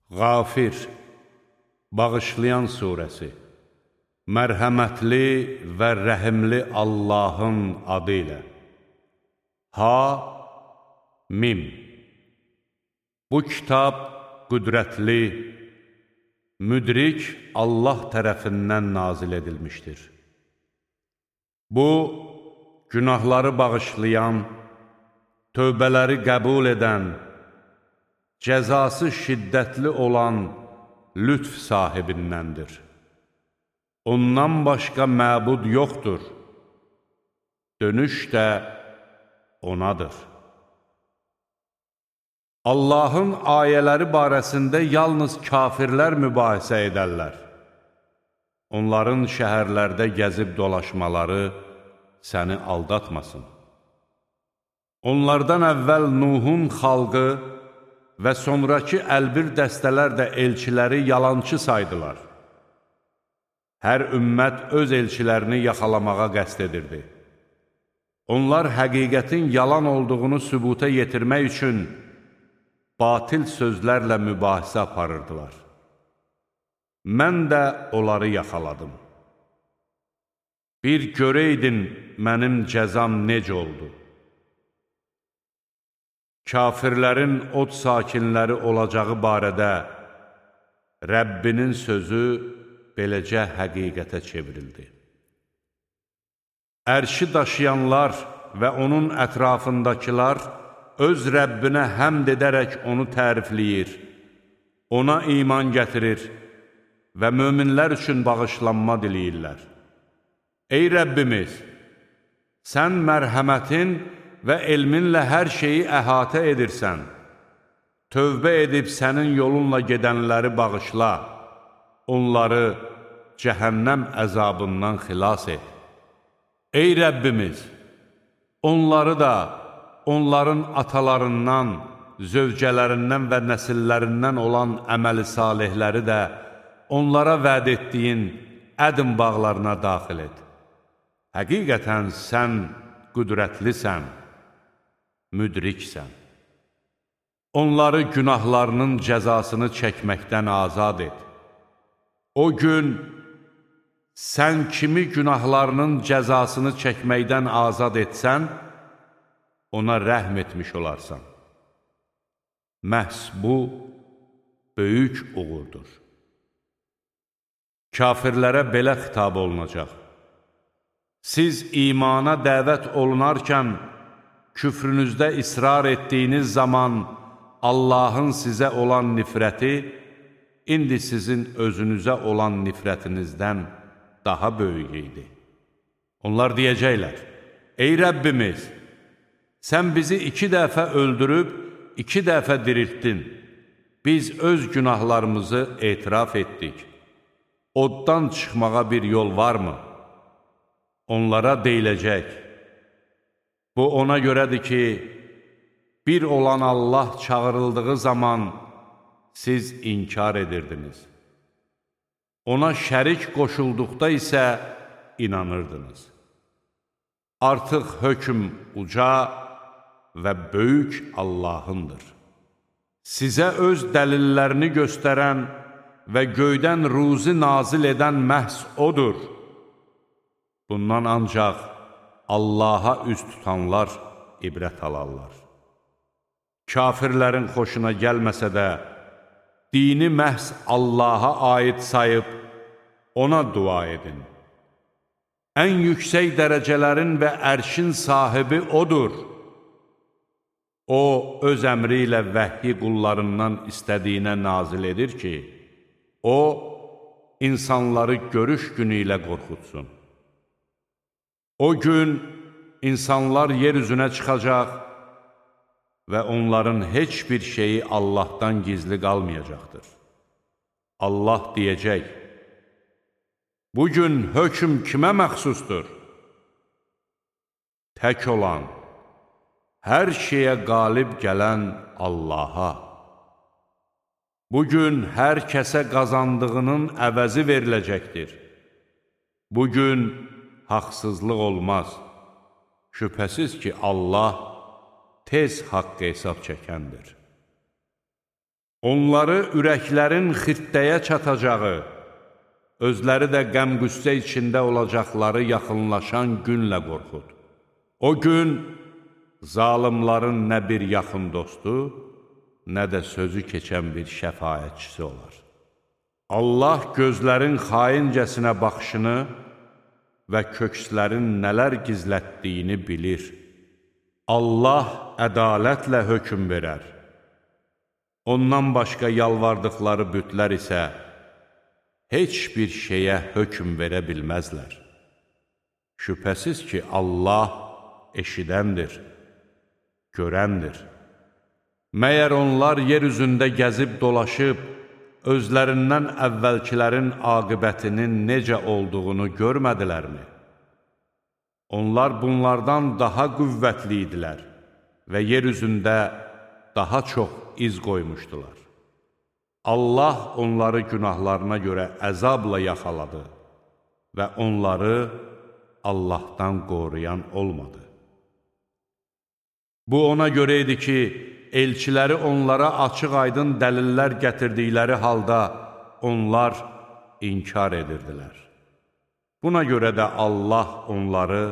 Qafir, Bağışlayan surəsi. Mərhəmətli və rəhimli Allahın adı ilə. Ha-Mim. Bu kitab qüdrətli, müdrik Allah tərəfindən nazil edilmişdir. Bu, günahları bağışlayan, tövbələri qəbul edən, cəzası şiddətli olan lütf sahibindəndir. Ondan başqa məbud yoxdur. Dönüş də onadır. Allahın ayələri barəsində yalnız kafirlər mübahisə edərlər. Onların şəhərlərdə gəzib dolaşmaları səni aldatmasın. Onlardan əvvəl Nuhun xalqı və sonraki əlbir dəstələr də elçiləri yalançı saydılar. Hər ümmət öz elçilərini yaxalamağa qəsd edirdi. Onlar həqiqətin yalan olduğunu sübuta yetirmək üçün batil sözlərlə mübahisə aparırdılar. Mən də onları yaxaladım. Bir görəydin mənim cəzam necə oldu? Kafirlərin od sakinləri olacağı barədə Rəbbinin sözü beləcə həqiqətə çevrildi. Ərşi daşıyanlar və onun ətrafındakılar öz Rəbbinə həmd edərək onu tərifləyir, ona iman gətirir və möminlər üçün bağışlanma diləyirlər. Ey Rəbbimiz, sən mərhəmətin və elminlə hər şeyi əhatə edirsən. Tövbə edib sənin yolunla gedənləri bağışla, onları cəhənnəm əzabından xilas et. Ey Rəbbimiz, onları da, onların atalarından, zövcələrindən və nəsillərindən olan əməli salihləri də onlara vəd etdiyin ədm bağlarına daxil et. Həqiqətən sən qüdrətlisən, müdriksən. Onları günahlarının cəzasını çəkməkdən azad et. O gün sən kimi günahlarının cəzasını çəkməkdən azad etsən, ona rəhm etmiş olarsan. Məhz bu, böyük uğurdur. Kafirlərə belə xitab olunacaq. Siz imana dəvət olunarkən, küfrünüzdə israr etdiyiniz zaman Allahın sizə olan nifrəti, indi sizin özünüzə olan nifrətinizdən daha böyük idi. Onlar deyəcəklər, ey Rəbbimiz, sən bizi 2 dəfə öldürüb, 2 dəfə diriltdin. Biz öz günahlarımızı etiraf etdik. Oddan çıxmağa bir yol varmı? Onlara deyiləcək, bu ona görədir ki, bir olan Allah çağırıldığı zaman siz inkar edirdiniz. Ona şərik qoşulduqda isə inanırdınız. Artıq hökm uca və böyük Allahındır. Sizə öz dəlillərini göstərən və göydən ruzi nazil edən məhz odur. Bundan ancaq Allaha üz tutanlar ibrət alarlar. Kafirlərin xoşuna gəlməsə də, dini məhz Allaha aid sayıb, ona dua edin. Ən yüksək dərəcələrin və ərşin sahibi odur. O, öz əmri ilə vəhyi qullarından istədiyinə nazil edir ki, o, insanları görüş günü ilə qorxutsun. O gün insanlar yer üzünə çıxacaq və onların heç bir şeyi Allahdan gizli qalmayacaqdır. Allah deyəcək, bugün hökm kimə məxsusdur? Tək olan, hər şeyə qalib gələn Allaha. Bugün hər kəsə qazandığının əvəzi veriləcəkdir. Bugün haqsızlıq olmaz. Şübhəsiz ki, Allah tez haqq hesab çəkəndir. Onları ürəklərin xirtdəyə çatacağı, özləri də qəm-qüssə içində olacaqları yaxınlaşan günlə qorxud. O gün zalimların nə bir yaxın dostu, nə də sözü keçən bir şəfaətçisi olar. Allah gözlərin xaincəsinə baxışını və kökslərin nələr gizlətdiyini bilir. Allah ədalətlə hökm verər. Ondan başqa yalvardıqları bütlər isə heç bir şeyə hökm verə bilməzlər. Şübhəsiz ki, Allah eşidəndir, görəndir. Məyər onlar yer üzündə gəzib dolaşıb, özlərindən əvvəlkilərin aqibətinin necə olduğunu görmədilərmi? Onlar bunlardan daha qüvvətli idilər və yer üzündə daha çox iz qoymuşdular. Allah onları günahlarına görə əzabla yaxaladı və onları Allahdan qoruyan olmadı. Bu ona görə idi ki, elçiləri onlara açıq-aydın dəlillər gətirdikləri halda onlar inkar edirdilər. Buna görə də Allah onları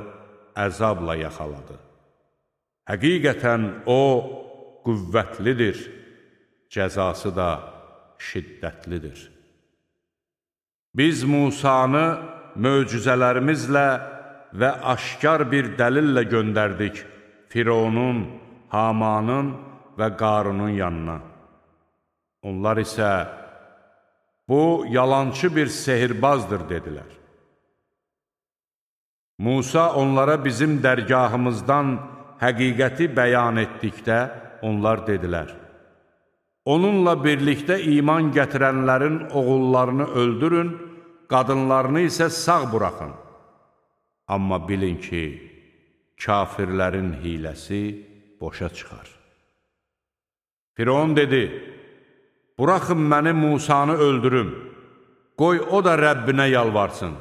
əzabla yaxaladı. Həqiqətən O qüvvətlidir, cəzası da şiddətlidir. Biz Musanı möcüzələrimizlə və aşkar bir dəlillə göndərdik Fironun, Hamanın və Qarunun yanına. Onlar isə, bu yalançı bir sehirbazdır, dedilər. Musa onlara bizim dərgahımızdan həqiqəti bəyan etdikdə, onlar dedilər, onunla birlikdə iman gətirənlərin oğullarını öldürün, qadınlarını isə sağ buraxın. Amma bilin ki, kafirlərin hiləsi boşa çıxar. Firon dedi, buraxın məni Musanı öldürüm, qoy o da Rəbbinə yalvarsın.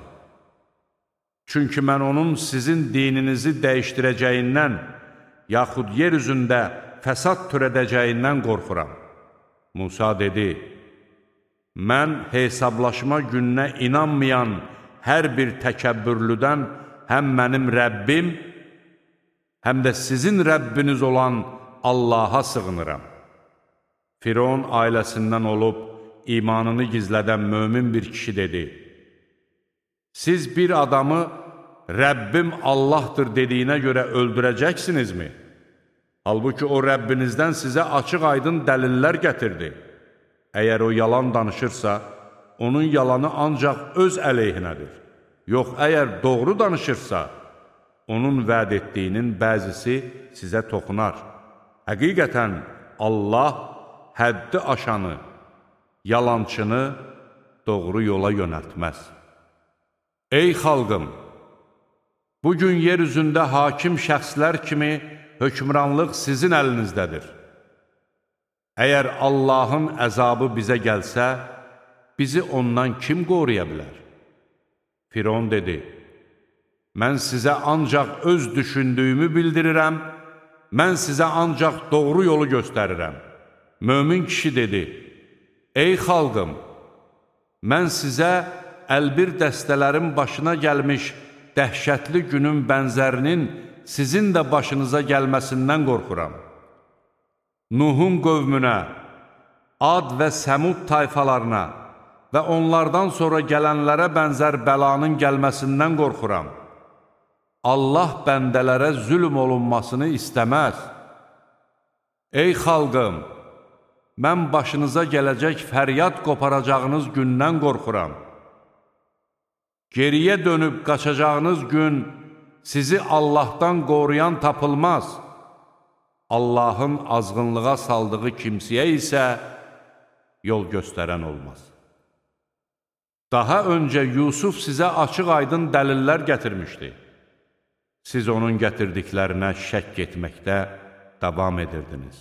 Çünki mən onun sizin dininizi dəyişdirəcəyindən, yaxud yer üzündə fəsad törədəcəyindən qorxuram. Musa dedi, mən hesablaşma gününə inanmayan hər bir təkəbbürlüdən həm mənim Rəbbim, həm də sizin Rəbbiniz olan Allaha sığınıram. Firon ailəsindən olub imanını gizlədən mömin bir kişi dedi, siz bir adamı Rəbbim Allahdır dediyinə görə öldürəcəksinizmi? Halbuki o Rəbbinizdən sizə açıq-aydın dəlillər gətirdi. Əgər o yalan danışırsa, onun yalanı ancaq öz əleyhinədir. Yox, əgər doğru danışırsa, onun vəd etdiyinin bəzisi sizə toxunar. Həqiqətən Allah həddi aşanı, yalançını doğru yola yönəltməz. Ey xalqım! Bugün yer üzündə hakim şəxslər kimi hökmranlıq sizin əlinizdədir. Əgər Allahın əzabı bizə gəlsə, bizi ondan kim qoruya bilər? Firon dedi, mən sizə ancaq öz düşündüyümü bildirirəm, mən sizə ancaq doğru yolu göstərirəm. Mömin kişi dedi, ey xalqım, mən sizə əlbir dəstələrin başına gəlmiş dəhşətli günün bənzərinin sizin də başınıza gəlməsindən qorxuram. Nuhun qövmünə, Ad və Səmud tayfalarına və onlardan sonra gələnlərə bənzər bəlanın gəlməsindən qorxuram. Allah bəndələrə zülm olunmasını istəməz. Ey xalqım, mən başınıza gələcək fəryad qoparacağınız gündən qorxuram. Geriyə dönüb qaçacağınız gün sizi Allahdan qoruyan tapılmaz. Allahın azğınlığa saldığı kimsəyə isə yol göstərən olmaz. Daha öncə Yusuf sizə açıq-aydın dəlillər gətirmişdi. Siz onun gətirdiklərinə şəkk etməkdə davam edirdiniz.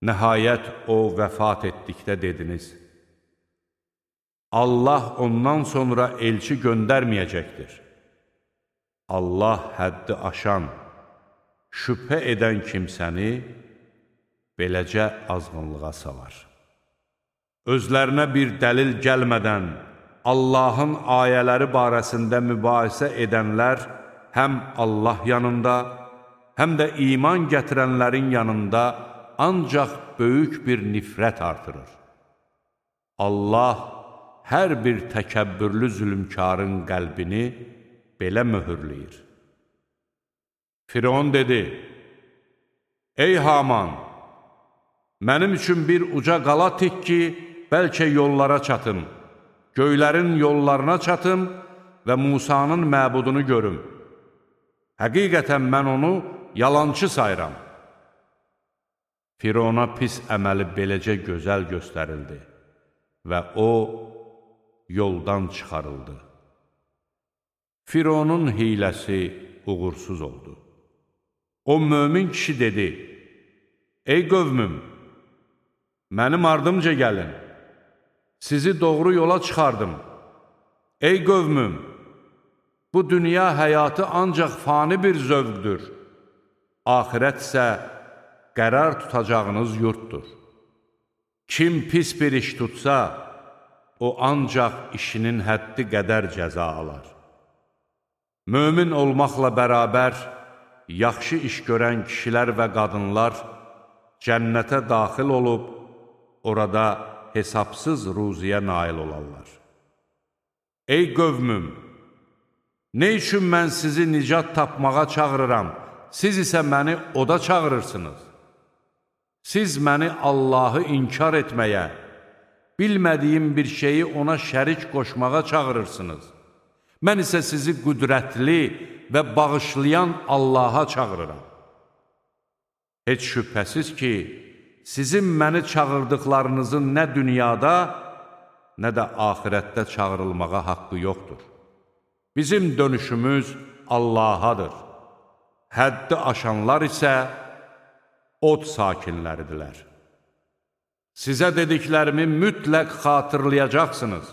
Nəhayət o vəfat etdikdə dediniz, Allah ondan sonra elçi göndərməyəcəkdir. Allah həddi aşan, şübhə edən kimsəni beləcə azğınlığa salar. Özlərinə bir dəlil gəlmədən Allahın ayələri barəsində mübahisə edənlər həm Allah yanında, həm də iman gətirənlərin yanında ancaq böyük bir nifrət artırır. Allah hər bir təkəbbürlü zülmkarın qəlbini belə möhürləyir. Firon dedi: Ey Haman, mənim üçün bir uca qala tik ki, bəlkə yollara çatım, göylərin yollarına çatım və Musanın məbudunu görüm. Həqiqətən mən onu yalançı sayıram. Firona pis əməli beləcə gözəl göstərildi və o yoldan çıxarıldı. Fironun hiləsi uğursuz oldu. O mömin kişi dedi: Ey qövmüm, mənim ardımca gəlin, sizi doğru yola çıxardım. Ey qövmüm, bu dünya həyatı ancaq fani bir zövqdür. Axirət isə qərar tutacağınız yurtdur. Kim pis bir iş tutsa, o ancaq işinin həddi qədər cəza alar. Mömin olmaqla bərabər, yaxşı iş görən kişilər və qadınlar cənnətə daxil olub, orada hesabsız ruziyə nail olarlar. Ey qövmüm, nə üçün mən sizi nicat tapmağa çağırıram, siz isə məni oda çağırırsınız? Siz məni Allahı inkar etməyə, bilmədiyim bir şeyi ona şərik qoşmağa çağırırsınız. Mən isə sizi qüdrətli və bağışlayan Allaha çağırıram. Heç şübhəsiz ki, sizin məni çağırdıqlarınızın nə dünyada, nə də axirətdə çağırılmağa haqqı yoxdur. Bizim dönüşümüz Allahadır. Həddi aşanlar isə od sakinləridirlər. Sizə dediklərimi mütləq xatırlayacaqsınız.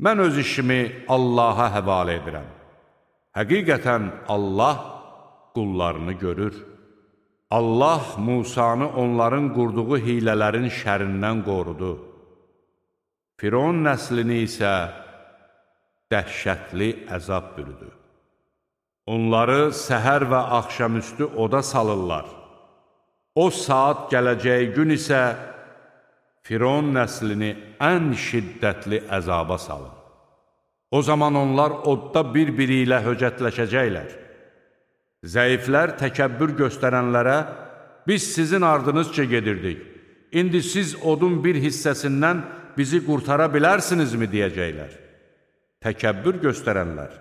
Mən öz işimi Allaha həvalə edirəm. Həqiqətən Allah qullarını görür. Allah Musanı onların qurduğu hilələrin şərindən qorudu. Firon nəslini isə dəhşətli əzab bürüdü. Onları səhər və axşamüstü oda salırlar. O saat gələcəyi gün isə Firon nəslini ən şiddətli əzaba salın. O zaman onlar odda bir-biri ilə höcətləşəcəklər. Zəiflər təkəbbür göstərənlərə, biz sizin ardınızca gedirdik, indi siz odun bir hissəsindən bizi qurtara bilərsinizmi deyəcəklər. Təkəbbür göstərənlər,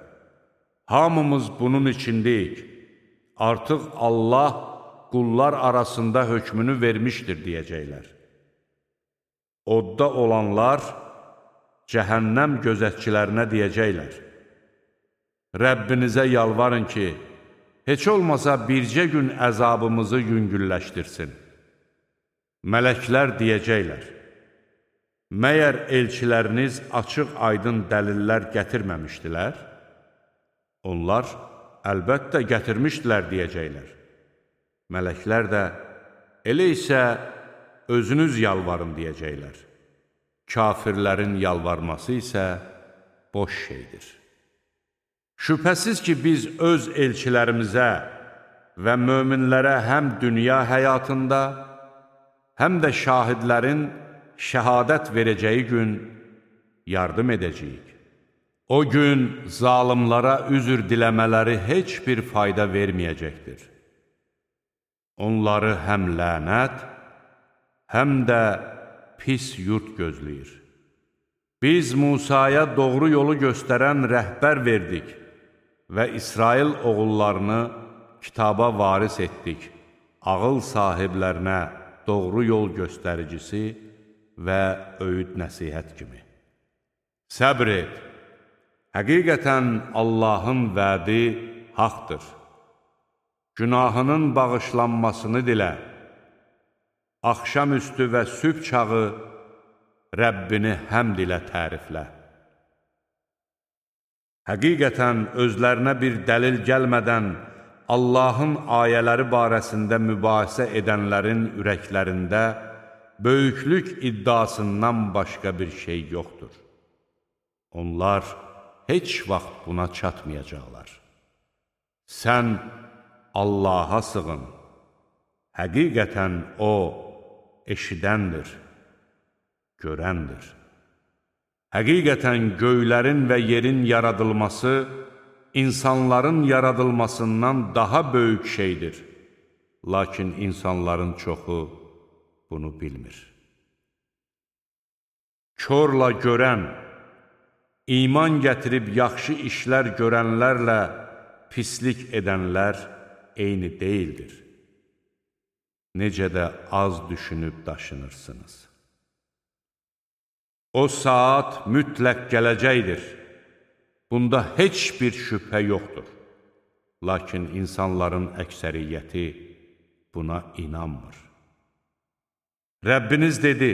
hamımız bunun içindəyik, artıq Allah qullar arasında hökmünü vermişdir deyəcəklər. Odda olanlar cəhənnəm gözətçilərinə deyəcəklər: Rəbbinizə yalvarın ki, heç olmasa bircə gün əzabımızı yüngülləşdirsin. Mələklər deyəcəklər: Məyər elçiləriniz açıq-aydın dəlillər gətirməmişdilər? Onlar, əlbəttə gətirmişdilər deyəcəklər. Mələklər də, elə isə özünüz yalvarın deyəcəklər. Kafirlərin yalvarması isə boş şeydir. Şübhəsiz ki, biz öz elçilərimizə və möminlərə həm dünya həyatında, həm də şahidlərin şəhadət verəcəyi gün yardım edəcəyik. O gün zalimlara üzr diləmələri heç bir fayda verməyəcəkdir. Onları həm lənət, həm də pis yurt gözləyir. Biz Musaya doğru yolu göstərən rəhbər verdik və İsrail oğullarını kitaba varis etdik, ağıl sahiblərinə doğru yol göstəricisi və öyüd nəsihət kimi. Səbr et, həqiqətən Allahın vədi haqdır. Günahının bağışlanmasını dilə, axşamüstü və sübh çağı Rəbbini həmd ilə təriflə. Həqiqətən özlərinə bir dəlil gəlmədən Allahın ayələri barəsində mübahisə edənlərin ürəklərində böyüklük iddiasından başqa bir şey yoxdur. Onlar heç vaxt buna çatmayacaqlar. Sən Allaha sığın. Həqiqətən O eşidəndir, görəndir. Həqiqətən göylərin və yerin yaradılması insanların yaradılmasından daha böyük şeydir. Lakin insanların çoxu bunu bilmir. Körlə görən, iman gətirib yaxşı işlər görənlərlə pislik edənlər eyni deyildir. Necə də az düşünüb daşınırsınız. O saat mütləq gələcəkdir. Bunda heç bir şübhə yoxdur. Lakin insanların əksəriyyəti buna inanmır. Rəbbiniz dedi,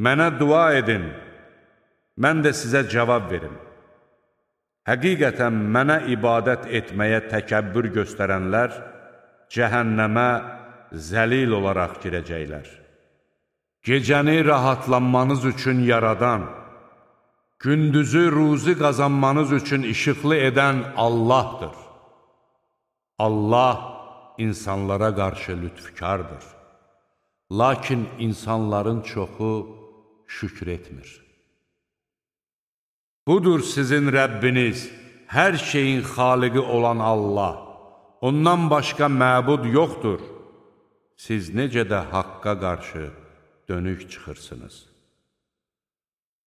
mənə dua edin, mən də sizə cavab verim. Həqiqətən mənə ibadət etməyə təkəbbür göstərənlər cəhənnəmə zəlil olaraq girəcəklər. Gecəni rahatlanmanız üçün yaradan, gündüzü ruzi qazanmanız üçün işıqlı edən Allahdır. Allah insanlara qarşı lütfkardır. Lakin insanların çoxu şükür etmir. Budur sizin Rəbbiniz, hər şeyin xaliqi olan Allah. Ondan başqa məbud yoxdur. Siz necə də haqqa qarşı dönük çıxırsınız.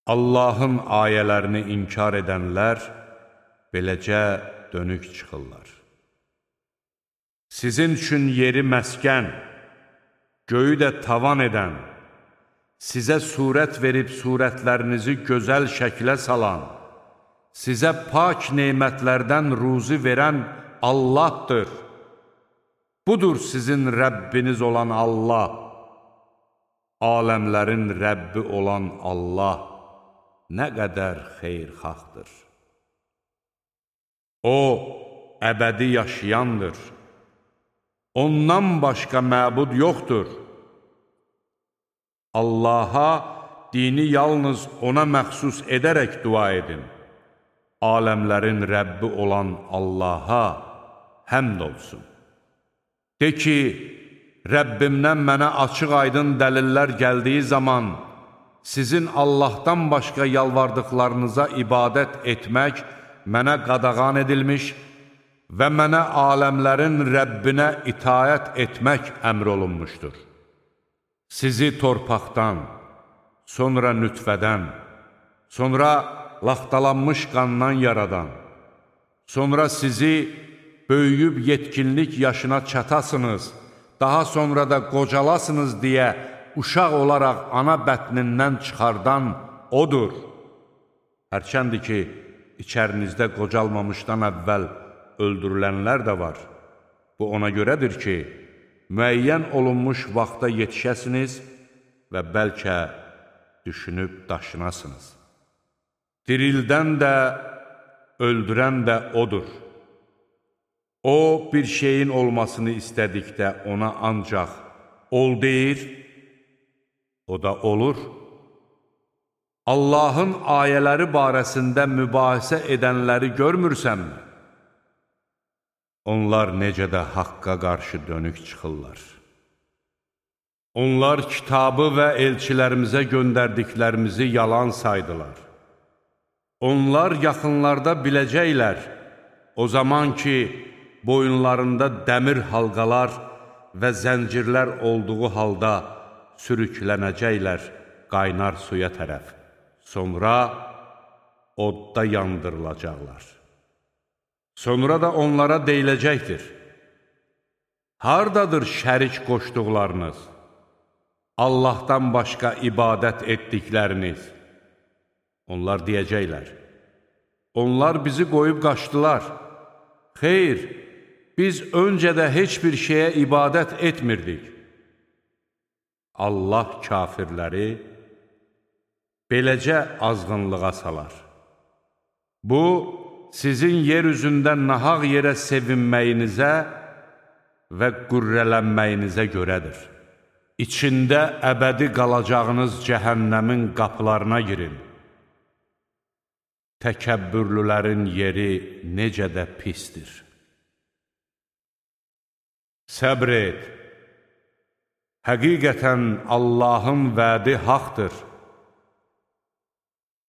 Allahın ayələrini inkar edənlər beləcə dönük çıxırlar. Sizin üçün yeri məskən, göyü də tavan edən, sizə surət verib surətlərinizi gözəl şəklə salan, sizə pak nemətlərdən ruzi verən Allahdır. Budur sizin Rəbbiniz olan Allah, aləmlərin Rəbbi olan Allah nə qədər xeyirxahdır. O, əbədi yaşayandır. Ondan başqa məbud yoxdur. Allaha dini yalnız ona məxsus edərək dua edin. Aləmlərin Rəbbi olan Allaha həmd olsun. De ki, Rəbbimdən mənə açıq-aydın dəlillər gəldiyi zaman sizin Allahdan başqa yalvardıqlarınıza ibadət etmək mənə qadağan edilmiş və mənə aləmlərin Rəbbinə itayət etmək əmr olunmuşdur. Sizi torpaqdan, sonra nütfədən, sonra laxtalanmış qandan yaradan, sonra sizi böyüyüb yetkinlik yaşına çatasınız, daha sonra da qocalasınız deyə uşaq olaraq ana bətnindən çıxardan O'dur. Hərçəndir ki, içərinizdə qocalmamışdan əvvəl öldürülənlər də var. Bu ona görədir ki, müəyyən olunmuş vaxta yetişəsiniz və bəlkə düşünüb daşınasınız. Dirildən də, öldürən də O'dur. O, bir şeyin olmasını istədikdə ona ancaq ol deyir, o da olur. Allahın ayələri barəsində mübahisə edənləri görmürsənmi? Onlar necə də haqqa qarşı dönük çıxırlar. Onlar kitabı və elçilərimizə göndərdiklərimizi yalan saydılar. Onlar yaxınlarda biləcəklər, o zaman ki, boyunlarında dəmir halqalar və zəncirlər olduğu halda sürüklənəcəklər qaynar suya tərəf. Sonra odda yandırılacaqlar. Sonra da onlara deyiləcəkdir: hardadır şərik qoşduqlarınız? Allahdan başqa ibadət etdikləriniz? Onlar deyəcəklər: onlar bizi qoyub qaçdılar. Xeyr, biz öncə də heç bir şeyə ibadət etmirdik. Allah kafirləri beləcə azğınlığa salar. Bu, sizin yer üzündə nahaq yerə sevinməyinizə və qürrələnməyinizə görədir. İçində əbədi qalacağınız cəhənnəmin qapılarına girin. Təkəbbürlülərin yeri necə də pisdir. Səbr et. Həqiqətən Allahın vədi haqdır.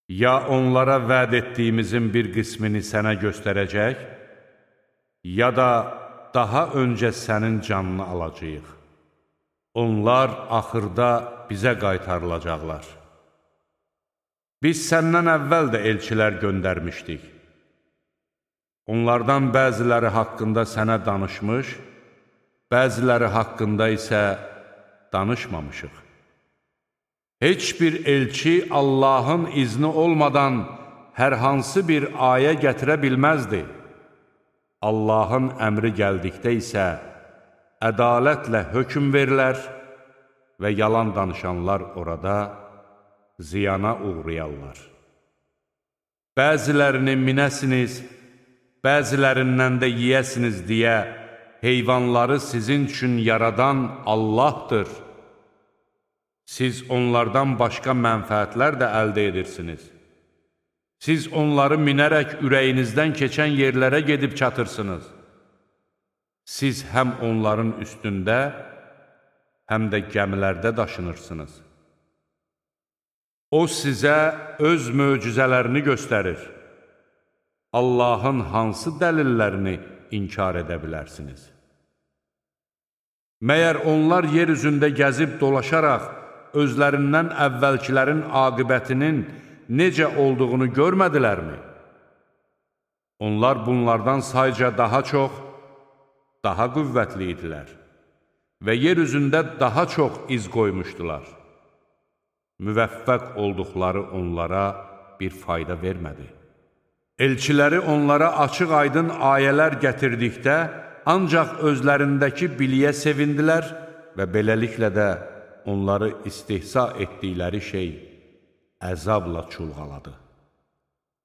Ya onlara vəd etdiyimizin bir qismini sənə göstərəcək, ya da daha öncə sənin canını alacağıq. Onlar axırda bizə qaytarılacaqlar. Biz səndən əvvəl də elçilər göndərmişdik. Onlardan bəziləri haqqında sənə danışmış, bəziləri haqqında isə danışmamışıq. Heç bir elçi Allahın izni olmadan hər hansı bir ayə gətirə bilməzdi. Allahın əmri gəldikdə isə ədalətlə hökm verilər və yalan danışanlar orada ziyana uğrayarlar. Bəzilərini minəsiniz, bəzilərindən də yiyəsiniz deyə heyvanları sizin üçün yaradan Allahdır. Siz onlardan başqa mənfəətlər də əldə edirsiniz. Siz onları minərək ürəyinizdən keçən yerlərə gedib çatırsınız. Siz həm onların üstündə, həm də gəmilərdə daşınırsınız. O sizə öz möcüzələrini göstərir. Allahın hansı dəlillərini inkar edə bilərsiniz? Məyər onlar yer üzündə gəzib dolaşaraq özlərindən əvvəlkilərin aqibətinin necə olduğunu görmədilərmi? Onlar bunlardan sayca daha çox, daha qüvvətli idilər və yer üzündə daha çox iz qoymuşdular. Müvəffəq olduqları onlara bir fayda vermədi. Elçiləri onlara açıq-aydın ayələr gətirdikdə ancaq özlərindəki biliyə sevindilər və beləliklə də onları istihza etdikləri şey əzabla çulğaladı.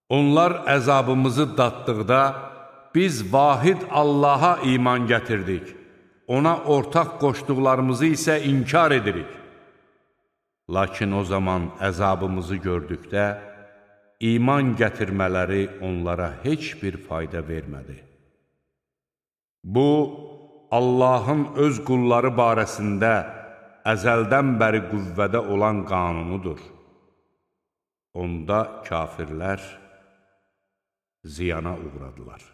Onlar əzabımızı daddıqda biz vahid Allaha iman gətirdik, ona ortaq qoşduqlarımızı isə inkar edirik. Lakin o zaman əzabımızı gördükdə iman gətirmələri onlara heç bir fayda vermədi. Bu, Allahın öz qulları barəsində əzəldən bəri qüvvədə olan qanunudur. Onda kafirlər ziyana uğradılar.